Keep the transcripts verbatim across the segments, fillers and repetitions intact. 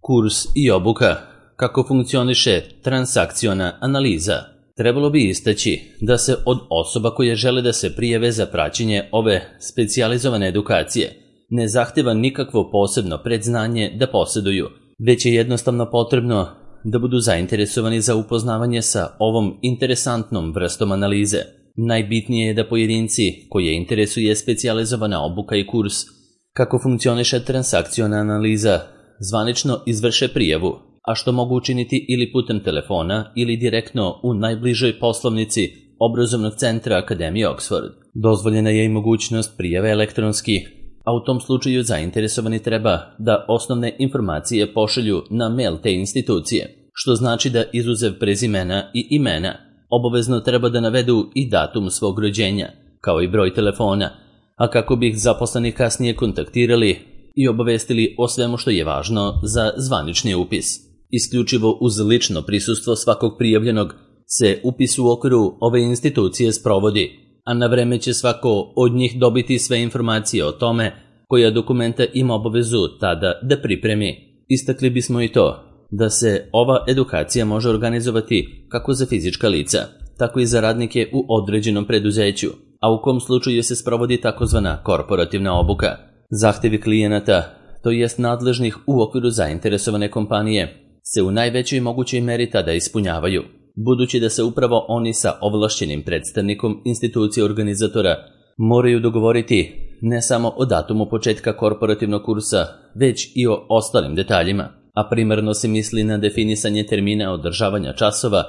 Kurs i obuka. Kako funkcioniše transakciona analiza? Trebalo bi istaći da se od osoba koje žele da se prijave za praćenje ove specijalizovane edukacije ne zahteva nikakvo posebno predznanje da posjeduju, već je jednostavno potrebno da budu zainteresovani za upoznavanje sa ovom interesantnom vrstom analize. Najbitnije je da pojedinci koje interesuje specijalizovana obuka i kurs kako funkcioniše transakciona analiza zvanično izvrše prijavu, a što mogu učiniti ili putem telefona ili direktno u najbližoj poslovnici obrazovnog centra Akademije Oxford. Dozvoljena je i mogućnost prijave elektronski, a u tom slučaju zainteresovani treba da osnovne informacije pošalju na mail te institucije, što znači da izuzev prezimena i imena obavezno treba da navedu i datum svog rođenja, kao i broj telefona, a kako bi ih zaposleni kasnije kontaktirali i obavestili o svemu što je važno za zvanični upis. Isključivo uz lično prisustvo svakog prijavljenog se upis u okviru ove institucije sprovodi, a na vreme će svako od njih dobiti sve informacije o tome koja dokumenta ima obavezu tada da pripremi. Istakli bismo i to da se ova edukacija može organizovati kako za fizička lica, tako i za radnike u određenom preduzeću, a u kom slučaju se sprovodi takozvana korporativna obuka. Zahtevi klijenata, to jest nadležnih u okviru zainteresovane kompanije, se u najvećoj mogućoj meri tada ispunjavaju, budući da se upravo oni sa ovlašćenim predstavnikom institucije organizatora moraju dogovoriti ne samo o datumu početka korporativnog kursa, već i o ostalim detaljima, a primarno se misli na definisanje termina održavanja časova,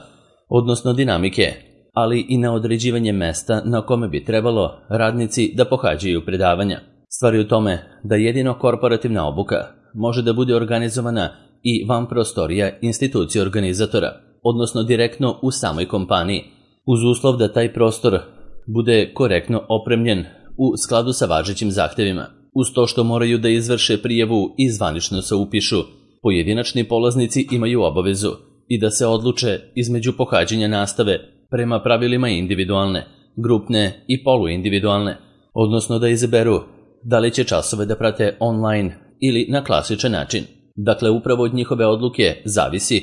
odnosno dinamike, ali i na određivanje mesta na kome bi trebalo radnici da pohađaju predavanja. Stvar je u tome da jedino korporativna obuka može da bude organizovana i van prostorija institucije organizatora, odnosno direktno u samoj kompaniji, uz uslov da taj prostor bude korektno opremljen u skladu sa važećim zahtevima. Uz to što moraju da izvrše prijavu i zvanično se upišu, pojedinačni polaznici imaju obavezu i da se odluče između pohađanja nastave prema pravilima individualne, grupne i poluindividualne, odnosno da izaberu da li će časove da prate online ili na klasičan način. Dakle, upravo od njihove odluke zavisi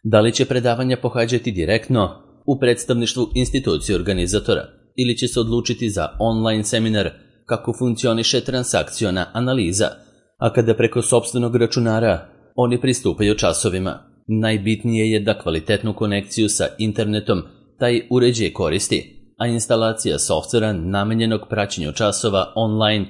da li će predavanja pohađati direktno u predstavništvu institucije organizatora ili će se odlučiti za online seminar kako funkcioniše transakciona analiza, a kada preko sopstvenog računara oni pristupaju časovima. Najbitnije je da kvalitetnu konekciju sa internetom taj uređaj koristi, a instalacija softvera namenjenog praćenju časova online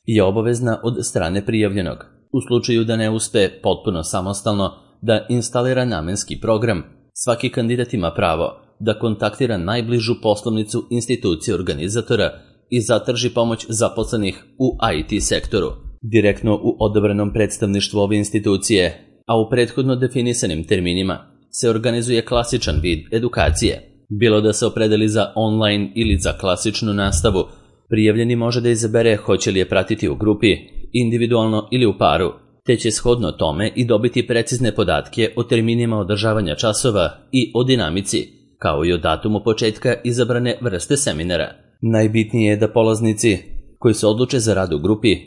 je obavezna od strane prijavljenog. U slučaju da ne uspe potpuno samostalno da instalira namenski program, svaki kandidat ima pravo da kontaktira najbližu poslovnicu institucije organizatora i zatraži pomoć zaposlenih u I T sektoru, direktno u odabranom predstavništvu ove institucije, a u prethodno definisanim terminima se organizuje klasičan vid edukacije. Bilo da se opredeli za online ili za klasičnu nastavu, prijavljeni može da izabere hoće li je pratiti u grupi, individualno ili u paru, te će shodno tome i dobiti precizne podatke o terminima održavanja časova i o dinamici, kao i o datumu početka izabrane vrste seminara. Najbitnije je da polaznici koji se odluče za rad u grupi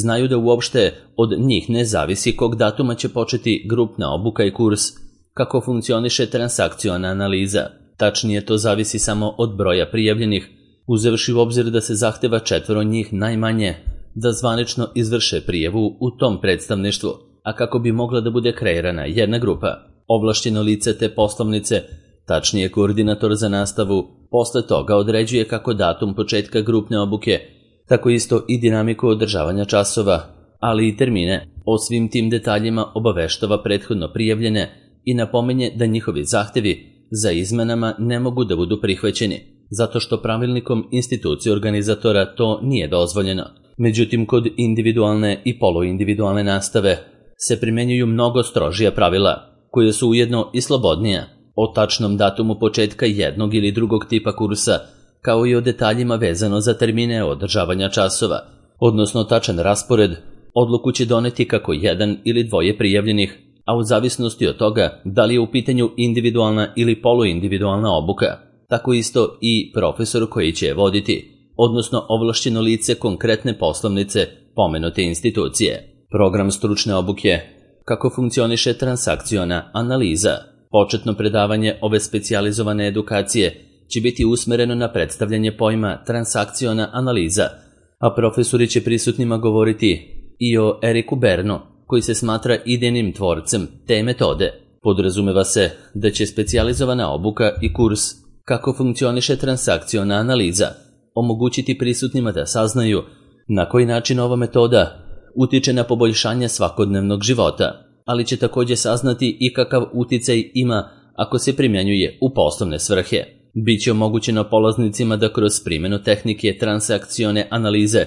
znaju da uopšte od njih ne zavisi kog datuma će početi grupna obuka i kurs, kako funkcioniše transakciona analiza. Tačnije, to zavisi samo od broja prijavljenih, uzevši u obzir da se zahteva četvoro njih najmanje da zvanično izvrše prijavu u tom predstavništvu, a kako bi mogla da bude kreirana jedna grupa, ovlašćeno lice te poslovnice, tačnije koordinator za nastavu, posle toga određuje kako datum početka grupne obuke, tako isto i dinamiku održavanja časova, ali i termine. O svim tim detaljima obaveštava prethodno prijavljene i napominje da njihovi zahtevi za izmenama ne mogu da budu prihvaćeni, zato što pravilnikom institucije organizatora to nije dozvoljeno. Međutim, kod individualne i poluindividualne nastave se primenjuju mnogo strožija pravila, koje su ujedno i slobodnija, o tačnom datumu početka jednog ili drugog tipa kursa, kao i o detaljima vezano za termine održavanja časova, odnosno tačan raspored. Odluku će doneti kako jedan ili dvoje prijavljenih, a u zavisnosti od toga da li je u pitanju individualna ili poluindividualna obuka, tako isto i profesor koji će je voditi, odnosno ovlašćeno lice konkretne poslovnice pomenute institucije. Program stručne obuke kako funkcioniše transakciona analiza. Početno predavanje ove specijalizovane edukacije će biti usmereno na predstavljanje pojma transakciona analiza, a profesori će prisutnima govoriti i o Eriku Bernu, koji se smatra idejnim tvorcem te metode. Podrazumeva se da će specijalizovana obuka i kurs kako funkcioniše transakciona analiza omogućiti prisutnima da saznaju na koji način ova metoda utiče na poboljšanje svakodnevnog života, ali će također saznati i kakav uticaj ima ako se primjenjuje u poslovne svrhe. Biće omogućeno polaznicima da kroz primjenu tehnike transakcione analize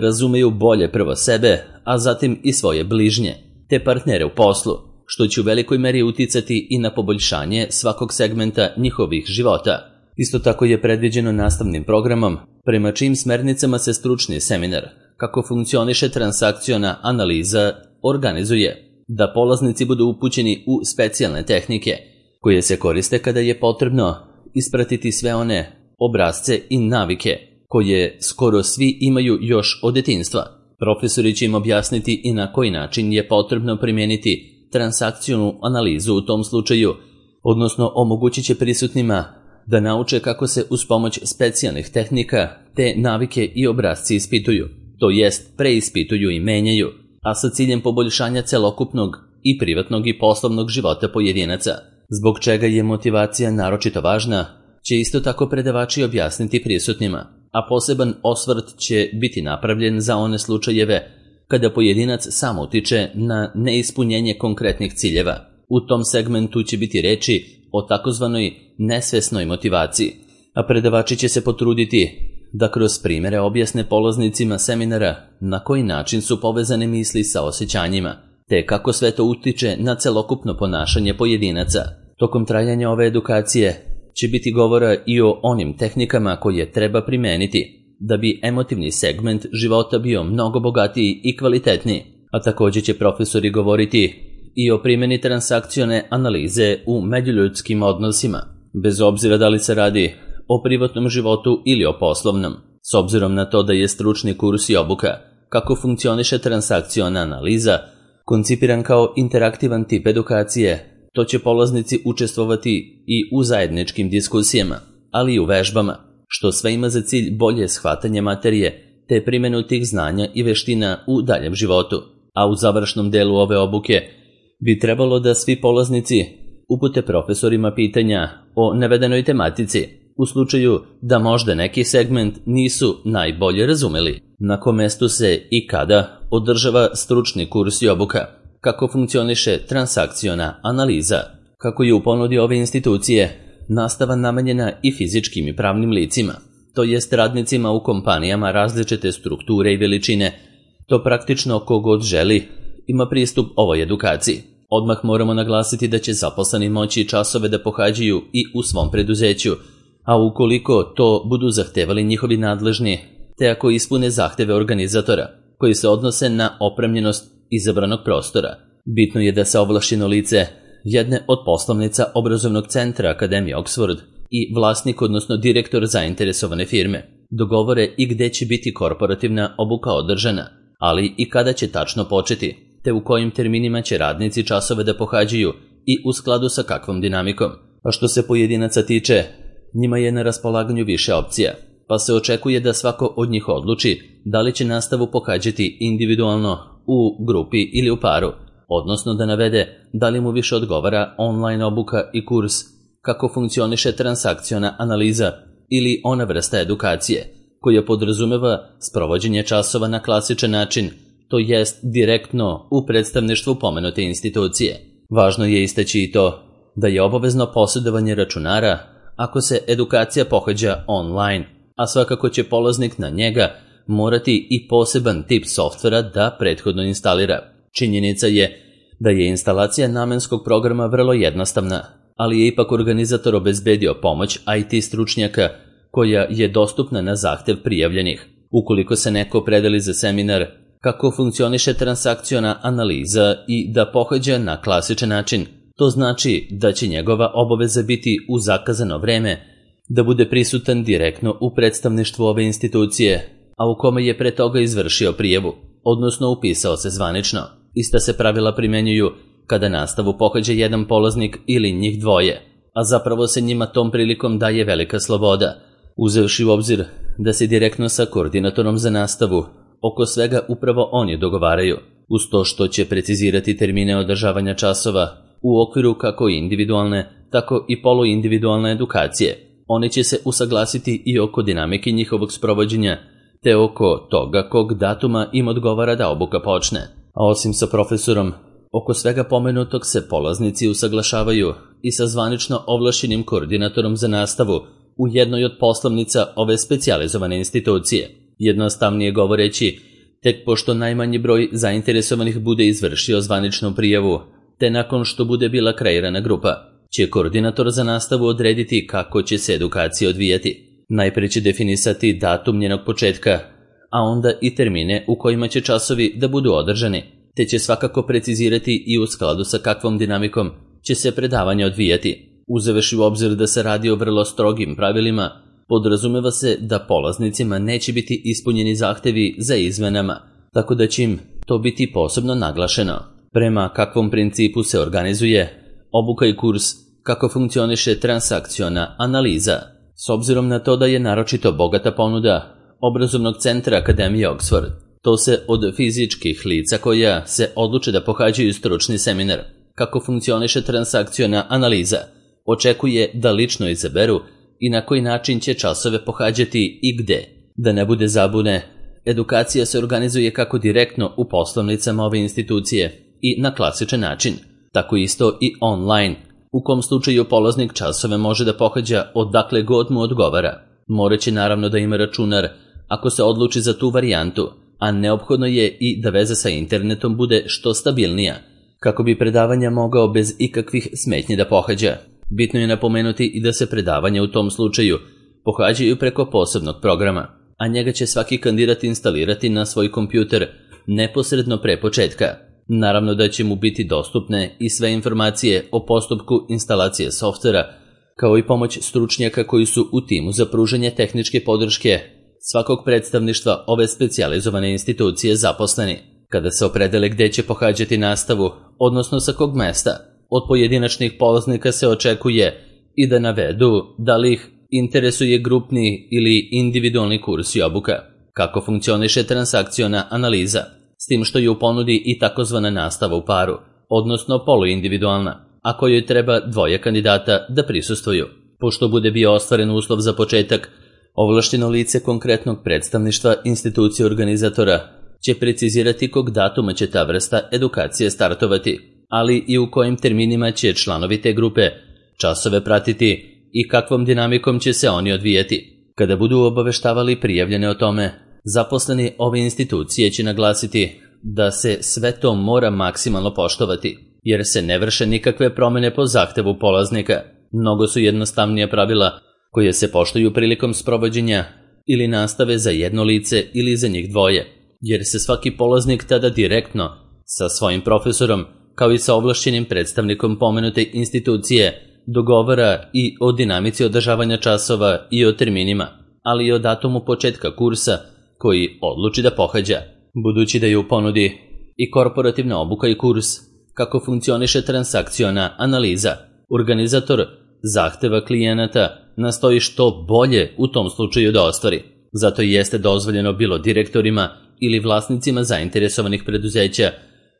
razumeju bolje prvo sebe, a zatim i svoje bližnje, te partnere u poslu, što će u velikoj meri uticati i na poboljšanje svakog segmenta njihovih života. Isto tako je predviđeno nastavnim programom, prema čijim smernicama se stručni seminar kako funkcioniše transakciona analiza organizuje, da polaznici budu upućeni u specijalne tehnike koje se koriste kada je potrebno ispratiti sve one obrasce i navike koje skoro svi imaju još od detinjstva. Profesori će im objasniti i na koji način je potrebno primijeniti transakcionu analizu u tom slučaju, odnosno omogućit će prisutnima da nauče kako se uz pomoć specijalnih tehnika te navike i obrasci ispituju, to jest preispituju i menjaju, a sa ciljem poboljšanja celokupnog i privatnog i poslovnog života pojedinaca. Zbog čega je motivacija naročito važna, će isto tako predavači objasniti prisutnima, a poseban osvrt će biti napravljen za one slučajeve kada pojedinac sam utiče na neispunjenje konkretnih ciljeva. U tom segmentu će biti reči o takozvanoj nesvesnoj motivaciji, a predavači će se potruditi da kroz primjere objasne polaznicima seminara na koji način su povezane misli sa osjećanjima, te kako sve to utiče na celokupno ponašanje pojedinaca. Tokom trajanja ove edukacije će biti govora i o onim tehnikama koje treba primeniti da bi emotivni segment života bio mnogo bogatiji i kvalitetniji, a također će profesori govoriti i o primjeni transakcione analize u međuljudskim odnosima, bez obzira da li se radi o privatnom životu ili o poslovnom. S obzirom na to da je stručni kurs i obuka kako funkcioniše transakciona analiza koncipiran kao interaktivan tip edukacije, to će polaznici učestvovati i u zajedničkim diskusijama, ali i u vežbama, što sve ima za cilj bolje shvatanje materije te primjenu tih znanja i veština u daljem životu. A u završnom delu ove obuke bi trebalo da svi polaznici upute profesorima pitanja o navedenoj tematici, u slučaju da možda neki segment nisu najbolje razumeli. Na kom mestu se i kada održava stručni kurs i obuka, kako funkcioniše transakciona analiza, kako je u ponudi ove institucije nastava namenjena i fizičkim i pravnim licima, to jest radnicima u kompanijama različite strukture i veličine, to praktično kogod želi ima pristup ovoj edukaciji. Odmah moramo naglasiti da će zaposleni moći časove da pohađaju i u svom preduzeću, a ukoliko to budu zahtevali njihovi nadležni, te ako ispune zahteve organizatora, koji se odnose na opremljenost izabranog prostora. Bitno je da se ovlašćeno lice jedne od poslovnica obrazovnog centra Akademije Oxford i vlasnik, odnosno direktor zainteresovane firme, dogovore i gde će biti korporativna obuka održana, ali i kada će tačno početi, te u kojim terminima će radnici časove da pohađaju i u skladu sa kakvom dinamikom. A što se pojedinaca tiče, njima je na raspolaganju više opcija, pa se očekuje da svako od njih odluči da li će nastavu pohađati individualno, u grupi ili u paru, odnosno da navede da li mu više odgovara online obuka i kurs kako funkcioniše transakciona analiza ili ona vrsta edukacije koja podrazumeva sprovođenje časova na klasičan način, to jest direktno u predstavništvu pomenute institucije. Važno je istaći i to da je obavezno posjedovanje računara ako se edukacija pohađa online, a svakako će polaznik na njega morati i poseban tip softvera da prethodno instalira. Činjenica je da je instalacija namenskog programa vrlo jednostavna, ali je ipak organizator obezbedio pomoć I T stručnjaka koja je dostupna na zahtev prijavljenih. Ukoliko se neko predeli za seminar kako funkcioniše transakciona analiza i da pohađa na klasičan način, to znači da će njegova obaveza biti u zakazano vreme da bude prisutan direktno u predstavništvu ove institucije, a u kome je pre toga izvršio prijavu, odnosno upisao se zvanično. Ista se pravila primjenjuju kada nastavu pohađa jedan polaznik ili njih dvoje, a zapravo se njima tom prilikom daje velika sloboda, uzevši u obzir da se direktno sa koordinatorom za nastavu oko svega upravo oni dogovaraju, uz to što će precizirati termine održavanja časova u okviru kako individualne, tako i poluindividualne edukacije. Oni će se usaglasiti i oko dinamike njihovog sprovođenja, te oko toga kog datuma im odgovara da obuka počne. A osim sa profesorom, oko svega pomenutog se polaznici usaglašavaju i sa zvanično ovlašćenim koordinatorom za nastavu u jednoj od poslovnica ove specijalizovane institucije. Jednostavnije govoreći, tek pošto najmanji broj zainteresovanih bude izvršio zvaničnu prijavu, te nakon što bude bila kreirana grupa, će koordinator za nastavu odrediti kako će se edukacija odvijati. Najprije će definisati datum njenog početka, a onda i termine u kojima će časovi da budu održani, te će svakako precizirati i u skladu sa kakvom dinamikom će se predavanje odvijati. Uzevši u obzir da se radi o vrlo strogim pravilima, podrazumeva se da polaznicima neće biti ispunjeni zahtevi za izmenama, tako da će im to biti posebno naglašeno. Prema kakvom principu se organizuje obuka i kurs, kako funkcioniše transakciona analiza. S obzirom na to da je naročito bogata ponuda obrazovnog centra Akademije Oxford, to se od fizičkih lica koja se odluče da pohađaju stručni seminar kako funkcioniše transakciona analiza, očekuje da lično izaberu i na koji način će časove pohađati i gde. Da ne bude zabune, edukacija se organizuje kako direktno u poslovnicama ove institucije i na klasičan način, tako isto i online, u kom slučaju polaznik časove može da pohađa odakle god mu odgovara. Moraće naravno da ima računar ako se odluči za tu varijantu, a neophodno je i da veza sa internetom bude što stabilnija, kako bi predavanja mogao bez ikakvih smetnji da pohađa. Bitno je napomenuti i da se predavanja u tom slučaju pohađaju preko posebnog programa, a njega će svaki kandidat instalirati na svoj kompjuter neposredno pre početka. Naravno da će mu biti dostupne i sve informacije o postupku instalacije softvera, kao i pomoć stručnjaka koji su u timu za pružanje tehničke podrške svakog predstavništva ove specijalizovane institucije zaposleni. Kada se opredele gde će pohađati nastavu, odnosno sa kog mesta, od pojedinačnih polaznika se očekuje i da navedu da li ih interesuje grupni ili individualni kurs i obuka, kako funkcioniše transakciona analiza, s tim što je u ponudi i takozvana nastava u paru, odnosno poluindividualna, a kojoj treba dvoje kandidata da prisustvuju. Pošto bude bio ostvaren uslov za početak, ovlašteno lice konkretnog predstavništva institucije organizatora će precizirati kog datuma će ta vrsta edukacije startovati, ali i u kojim terminima će članovi te grupe časove pratiti i kakvom dinamikom će se oni odvijati. Kada budu obaveštavali prijavljene o tome, zaposleni ove institucije će naglasiti da se sve to mora maksimalno poštovati, jer se ne vrše nikakve promene po zahtevu polaznika. Mnogo su jednostavnija pravila koje se poštuju prilikom sprovođenja ili nastave za jedno lice ili za njih dvoje, jer se svaki polaznik tada direktno sa svojim profesorom, kao i sa ovlašćenim predstavnikom pomenute institucije, dogovara i o dinamici održavanja časova i o terminima, ali i o datumu početka kursa koji odluči da pohađa. Budući da je u ponudi i korporativna obuka i kurs, kako funkcioniše transakciona analiza, organizator zahteva klijenata nastoji što bolje u tom slučaju da ostvari. Zato i jeste dozvoljeno bilo direktorima ili vlasnicima zainteresovanih preduzeća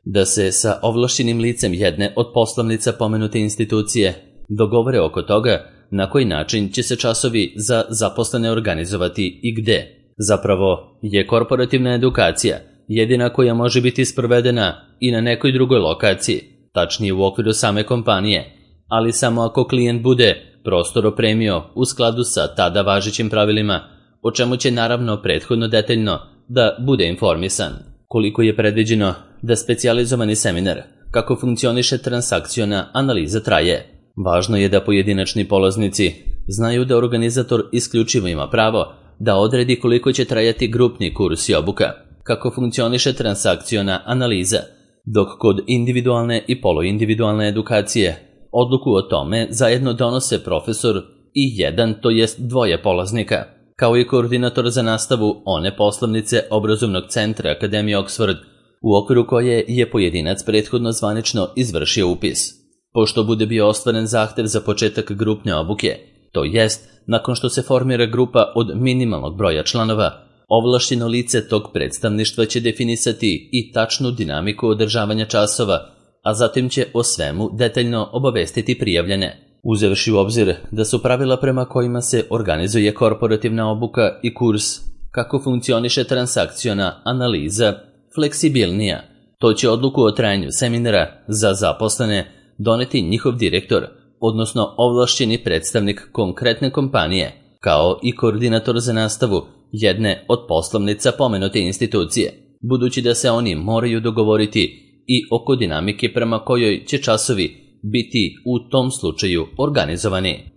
da se sa ovlašćenim licem jedne od poslovnica pomenute institucije dogovore oko toga na koji način će se časovi za zaposlene organizovati i gde. Zapravo je korporativna edukacija jedina koja može biti sprovedena i na nekoj drugoj lokaciji, tačnije u okviru same kompanije, ali samo ako klijent bude prostor opremio u skladu sa tada važećim pravilima, o čemu će naravno prethodno detaljno da bude informisan. Koliko je predviđeno da specijalizovani seminar kako funkcioniše transakciona analiza traje, važno je da pojedinačni polaznici znaju da organizator isključivo ima pravo da odredi koliko će trajati grupni kurs i obuka, kako funkcioniše transakciona analiza, dok kod individualne i poluindividualne edukacije odluku o tome zajedno donose profesor i jedan, to jest dvoje polaznika, kao i koordinator za nastavu one poslovnice obrazovnog centra Akademije Oxford u okviru koje je pojedinac prethodno zvanično izvršio upis. Pošto bude bio ostvaren zahtev za početak grupne obuke, to jest nakon što se formira grupa od minimalnog broja članova, ovlašćeno lice tog predstavništva će definisati i tačnu dinamiku održavanja časova, a zatim će o svemu detaljno obavestiti prijavljene. Uzevši u obzir da su pravila prema kojima se organizuje korporativna obuka i kurs, kako funkcioniše transakciona analiza, fleksibilnija, to će odluku o trajanju seminara za zaposlene doneti njihov direktor, odnosno ovlašćeni predstavnik konkretne kompanije, kao i koordinator za nastavu jedne od poslovnica pomenute institucije, budući da se oni moraju dogovoriti i oko dinamike prema kojoj će časovi biti u tom slučaju organizovani.